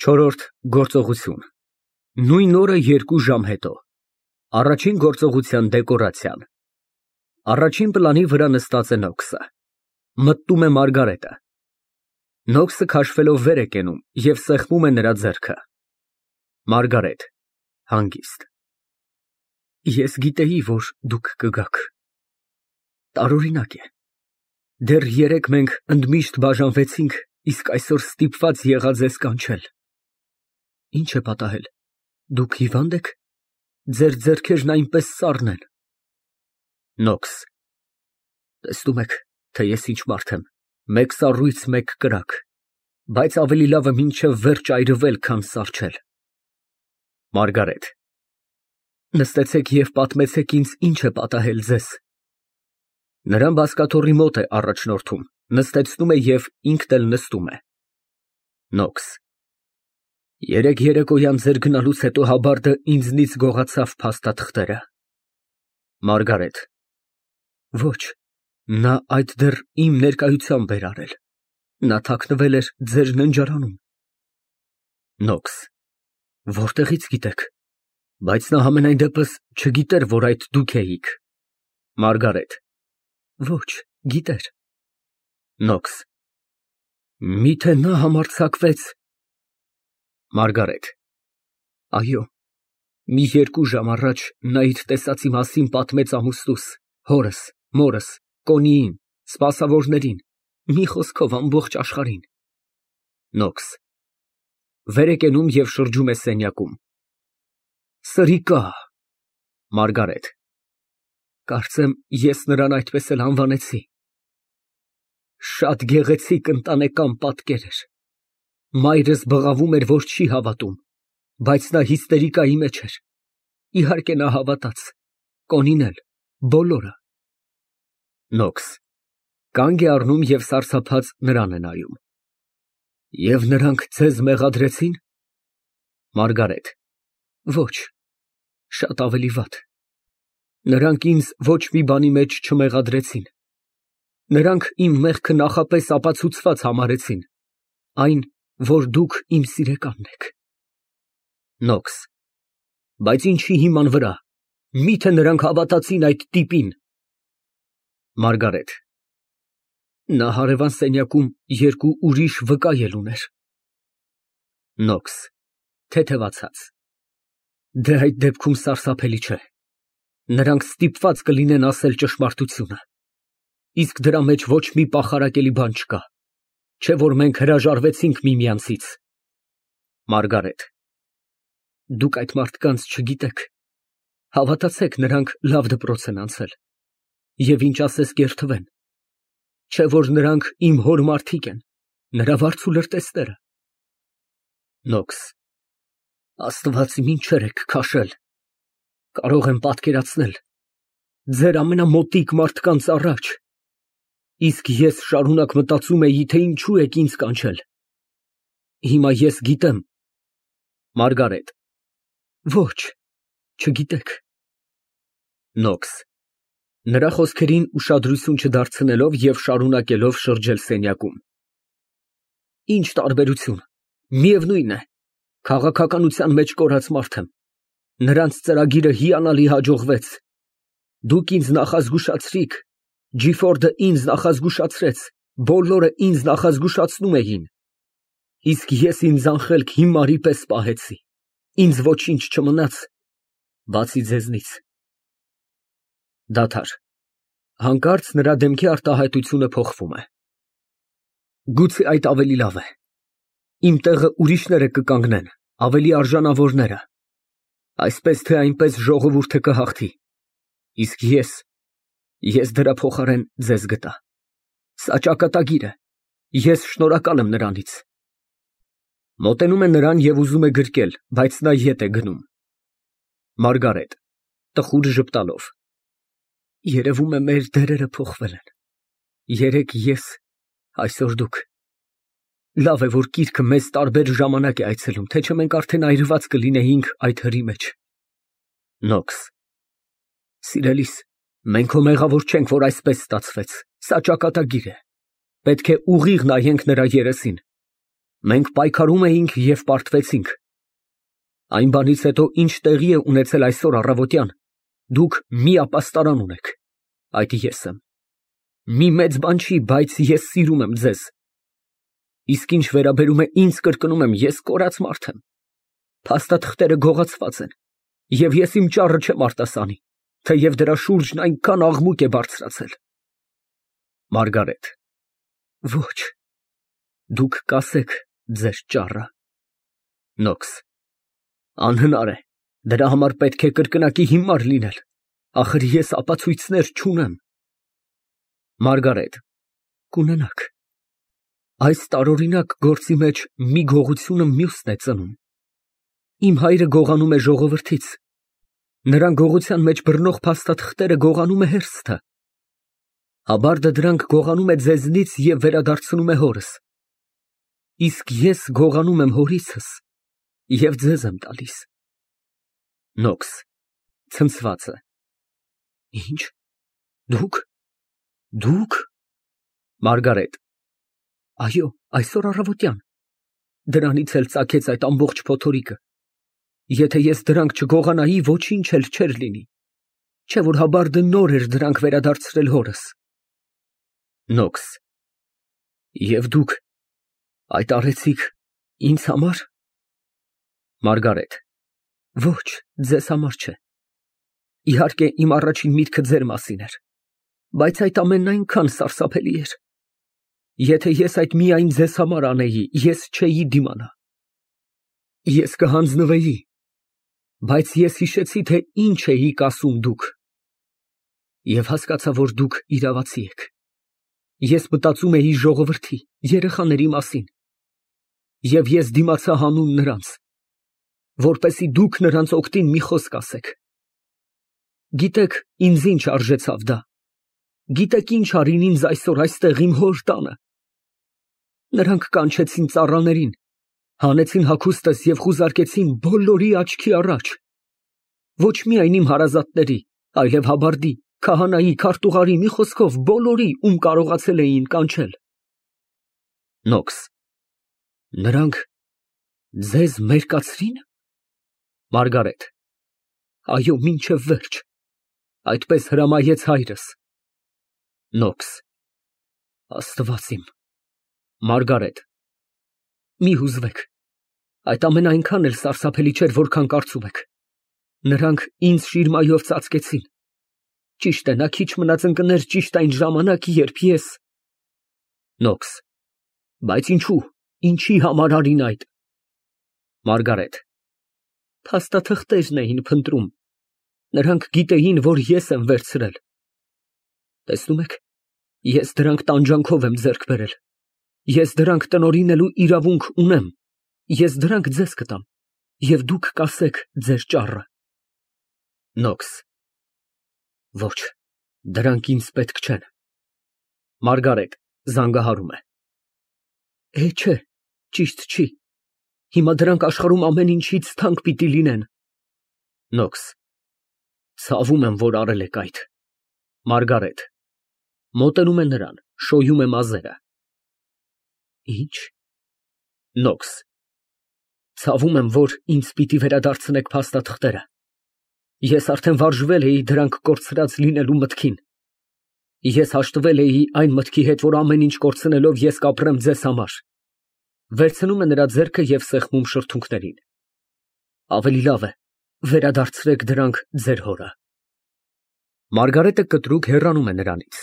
Չորրորդ գործողություն։ Նույն օրը 2 ժամ հետո։ Առաջին գործողության դեկորացիան։ Առաջին պլանի վրա նստած է Նոքսը։ Մտնում է Մարգարետը։ Նոքսը քաշվելով վեր է կենում և սեղմում է նրա ձեռքը։ ՄԱՐԳԱՐԵՏ ֊ (Հանգիստ) Ես գիտեի, որ դուք կգաք։ Տարօրինակ է։ Դեռ երեկ մենք ընդմիշտ բաժանվեցինք, իսկ այսօր ստիպված եղա ձեզ կանչել։ Ինչ է պատահել, դուք հիվա՞նդ եք, ձեր ձեռքերն այնպես սառն են։ ՆՈՔՍ ֊ Տեսնում եք, թե ես ինչ մարդ եմ, մեկ սառույց, մեկ կրակ, բայց ավելի լավ է մինչև վերջ այրվել, քան սառչել։ ՄԱՐԳԱՐԵՏ ֊ Նստեցեք և պատմեցեք ինձ, ինչ է պատահել ձեզ։ Նրան բազկաթոռի մոտ է առաջնորդում, նստեցնում է և ինքն էլ նստում է։ ՆՈՔՍ ֊ Երեկ երեկոյան ձեր գնալուց հետո հաբարդը ինձնից գողացավ փաստաթղթերը։ ՄԱՐԳԱՐԵՏ ֊ Ոչ, նա այդ դեռ իմ ներկայությամբ էր արել, նա թաքնվել էր ձեր ննջարանում։ ՆՈՔՍ ֊ Որտեղից գիտեք, բայց նա համենայն դեպս չգիտեր, որ այդ դուք էիք։ ՄԱՐԳԱՐԵՏ ֊ Ոչ, գիտեր։ ՆՈՔՍ ֊ Միթե նա համարձակվեց։ ՄԱՐԳԱՐԵՏ ֊ Այո, մի 2 ժամ առաջ նա իր տեսածի մասին պատմեց ամուսնուս, հորս, մորս, Կոնիին, սպասավորներին, մի խոսքով ամբողջ աշխարհին։ ՆՈՔՍ ֊ Վեր է կենում և շրջում է սենյակում։ Սրիկա։ ՄԱՐԳԱՐԵՏ ֊ Կարծեմ, ես նրան այդպես էլ անվանեցի։ Շատ գեղեցիկ ընտանեկան պատկեր էր։ Մայրս բղավում էր, որ չի հավատում, բայց նա հիստերիկայի մեջ էր։ Իհարկե նա հավատաց, Կոնին էլ, բոլորը։ ՆՈՔՍ ֊ Կանգ է առնում և սարսափած նրան է նայում։ Եվ նրանք ձեզ մեղադրեցի՞ն։ ՄԱՐԳԱՐԵՏ ֊ Ոչ, շատ ավելի վատ։ Նրանք ինձ ոչ մի բանի մեջ չմեղադրեցին։ Նրանք իմ մեղքը նախապես ապացուցված համարեցին, այն, որ դուք իմ սիրեկանն եք։ ՆՈՔՍ ֊ Բայց ինչի հիման վրա, միթե նրանք հավատացին այդ տիպին։ ՄԱՐԳԱՐԵՏ ֊ Նա հարևան սենյակում 2 ուրիշ վկա էլ ուներ։ ՆՈՔՍ ֊ (Թեթևացած) Դե այդ դեպքում սարսափելի չէ։ Նրանք ստիպված կլինեն ասել ճշմարտությունը, իսկ դրա մեջ ոչ մի պախարակելի բան չկա, չէ՞ որ մենք հրաժարվեցինք միմյանցից։ ՄԱՐԳԱՐԵՏ ֊ Դուք այդ մարդկանց չգիտեք, հավատացեք, նրանք լավ դպրոց են անցել, և ինչ ասես կերթվեն, չէ՞ որ նրանք իմ հոր մարդիկ են, նրա վարձու լրտեսները։ ՆՈՔՍ ֊ Աստված իմ ինչեր եք քաշել, կարող եմ պատկերացնել, ձեր ամենամոտիկ մարդկանց առաջ, իսկ ես շարունակ մտածում էի, թե ինչու եք ինձ կանչել։ Հիմա ես գիտեմ։ ՄԱՐԳԱՐԵՏ ֊ Ոչ, չգիտեք։ ՆՈՔՍ ֊ (Նրա խոսքերին ուշադրություն չդարձնելով և շարունակելով շրջել սենյակում) Ինչ տարբերություն, միևնույն է, քաղաքականության մեջ կորած մարդ եմ, նրանց ծրագիրը հիանալի հաջողվեց, դուք ինձ նախազգուշացրիք, Ջիֆորդը ինձ նախազգուշացրեց, բոլորը ինձ նախազգուշացնում էին, իսկ ես ինձ անխելք հիմարի պես պահեցի, ինձ ոչինչ չմնաց, բացի ձեզնից։ (Դադար) Հանկարծ նրա դեմքի արտահայտությունը փոխվում է։ Գուցե այդ ավելի լավ է։ Իմ տեղը ուրիշները կկանգնեն, ավելի արժանավորները, այսպես թե այնպես ժողովուրդը կհաղթի, իսկ ես դրա փոխարեն ձեզ գտա։ Սա ճակատագիր է, ես շնորհակալ եմ նրանից։ (Մոտենում է նրան և ուզում է գրկել, բայց նա ետ է գնում)։ ՄԱՐԳԱՐԵՏ ֊ (Տխուր ժպտալով) Երևում է, մեր դերերը փոխվել են, երեկ ես, այսօր դուք։ Լավ է, որ գիրքը մեզ տարբեր ժամանակ է այցելում, թե չէ մենք արդեն այրված կլինեինք այդ հրի մեջ։ ՆՈՔՍ ֊ Սիրելիս, մենք հո մեղավոր չենք, որ այսպես ստացվեց, սա ճակատագիր է, պետք է ուղիղ նայենք նրա երեսին։ Մենք պայքարում էինք և պարտվեցինք։ Այն բանից հետո, ինչ տեղի է ունեցել այսօր առավոտյան, դուք մի ապաստարան ունեք, այդ ես եմ։ Մի մեծ բան չի, բայց ես սիրում եմ ձեզ։ Իսկ ինչ վերաբերում է ինձ, կրկնում եմ, ես կորած մարդ եմ։ Փաստաթղթերը գողացված են, և ես իմ ճառը չեմ արտասանի, թեև դրա շուրջն այնքան աղմուկ է բարձրացել։ ՄԱՐԳԱՐԵՏ ֊ Ոչ, դուք կասեք ձեր ճառը։ ՆՈՔՍ ֊ Անհնար է, դրա համար պետք է կրկնակի հիմար լինել, ախր ես ապացույցներ չունեմ։ ՄԱՐԳԱՐԵՏ ֊ Կունենաք։ Այս տարօրինակ գործի մեջ մի գողությունը մյուսն է ծնում։ Իմ հայրը գողանում է ժողովրդից, նրան գողության մեջ բռնող փաստաթղթերը գողանում է հերթը, Աբարդը դրանք գողանում է ձեզնից և վերադարձնում է հորս, իսկ ես գողանում եմ հորիցս և ձեզ եմ տալիս։ ՆՈՔՍ ֊ (Ցնցված է) Ինչ, դուք։ ՄԱՐԳԱՐԵՏ ֊ Այո, այսօր առավոտյան, դրանից էլ ծագեց այդ ամբողջ փոթորիկը։ Եթե ես դրանք չգողանայի, ոչինչ էլ չէր լինի, չէ որ Հաբարդը նոր էր դրանք վերադարձրել հորս։ ՆՈՔՍ ֊ Եվ դուք այդ արեցիք ինձ համար։ ՄԱՐԳԱՐԵՏ ֊ Ոչ, ձեզ համար չէ։ Իհարկե, իմ առաջին միտքը ձեր մասին էր, բայց այդ ամենն այնքան սարսափելի էր։ Եթե ես այդ միայն ձեզ համար անեի, ես չէի դիմանա։ Ես կհանձնվեի, բայց ես հիշեցի, թե ինչ էիք ասում դուք, և հասկացա, որ դուք իրավացի եք։ Ես մտածում էի ժողովրդի, երեխաների մասին, և ես դիմացա հանուն նրանց, որպեսզի դուք նրանց օգտին մի խոսք ասեք։ Գիտեք, ինձ ինչ արժեցավ դա։ Գիտեք ինչ արին ինձ այսօր այստեղ իմ հոր տանը։ Նրանք կանչեցին ծառաներին, հանեցին հագուստս և խուզարկեցին բոլորի աչքի առաջ։ Ոչ միայն իմ հարազատների, այլև Հաբարդի, քահանայի, քարտուղարի, մի խոսքով բոլորի, ում կարողացել էին կանչել։ ՆՈՔՍ ֊ Նրանք ձեզ մերկացրի՞ն։ ՄԱՐԳԱՐԵՏ ֊ Այո, մինչև վերջ, այդպես հրամայեց հայրս։ ՆՈՔՍ ֊ Աստված իմ։ ՄԱՐԳԱՐԵՏ ֊ Մի հուզվեք, այդ ամենը այնքան էլ սարսափելի չէր, որքան կարծում եք։ Նրանք ինձ շիրմայով ծածկեցին։ Ճիշտ է, նա քիչ մնաց ընկներ ճիշտ այն ժամանակ, երբ ես… ՆՈՔՍ ֊ Բայց ինչու, ինչի համար արին այդ։ ՄԱՐԳԱՐԵՏ ֊ Փաստաթղթերն էին փնտրում, նրանք գիտեին, որ ես եմ վերցրել։ Տեսնում եք, ես դրանք տանջանքով եմ ձեռք բերել, ես դրանք տնօրինելու իրավունք ունեմ, ես դրանք ձեզ կտամ, և դուք կասեք ձեր ճառը։ ՆՈՔՍ ֊ Ոչ, դրանք ինձ պետք չեն։ ՄԱՐԳԱՐԵՏ ֊ (Զանգահարում է) Չէ, ճիշտ չի։ Հիմա դրանք աշխարհում ամեն ինչից թանկ պիտի լինեն։ ՆՈՔՍ ֊ Ցավում եմ, որ արել եք այդ։ ՄԱՐԳԱՐԵՏ ֊ (Մոտենում է նրան, շոյում է մազերը) Ինչ։ ՆՈՔՍ ֊ Ցավում եմ, որ ինձ պիտի վերադարձնեք փաստաթղթերը։ Ես արդեն վարժվել էի դրանք կորցրած լինելու մտքին։ Ես հաշտվել էի այն մտքի հետ, որ ամեն ինչ կորցնելով ես կապրեմ ձեզ համար։ (Վերցնում է նրա ձեռքը և սեղմում շրթունքներին) Ավելի լավ է, վերադարձրեք դրանք ձեր հորը։ (Մարգարիտը կտրուկ հեռանում է նրանից։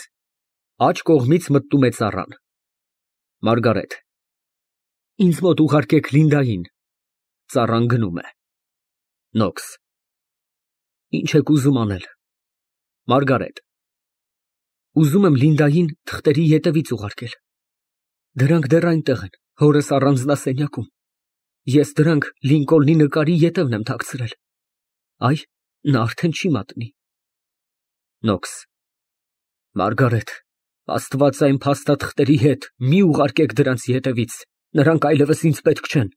Աջ կողմից մտնում է ծառան)։ ՄԱՐԳԱՐԵՏ ֊ Ինձ մոտ ուղարկեք Լինդային։ (Ծառան գնում է)։ ՆՈՔՍ ֊ Ինչ եք ուզում անել։ ՄԱՐԳԱՐԵՏ ֊ Ուզում եմ Լինդային թղթերի ետևից ուղարկել։ Դրանք դեռ այնտեղ են, հորս առանձնասենյակում։ Ես դրանք Լինկոլնի նկարի ետևն եմ թաքցրել։ Այ, նա արդեն չի մատնի։ ՆՈՔՍ ֊ Մարգարետ, Աստված այն փաստաթղթերի հետ մի ուղարկեք դրանց ետևից, նրանք այլևս ինձ պետք չեն,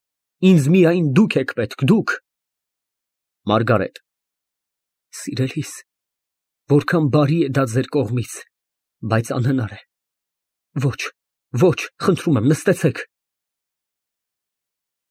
ինձ միայն դուք եք պետք, դուք։ ՄԱՐԳԱՐԵՏ ֊ Սիրելիս, որքան բարի է դա ձեր կողմից, բայց անհնար է։ Ոչ, խնդրում եմ, նստեցեք։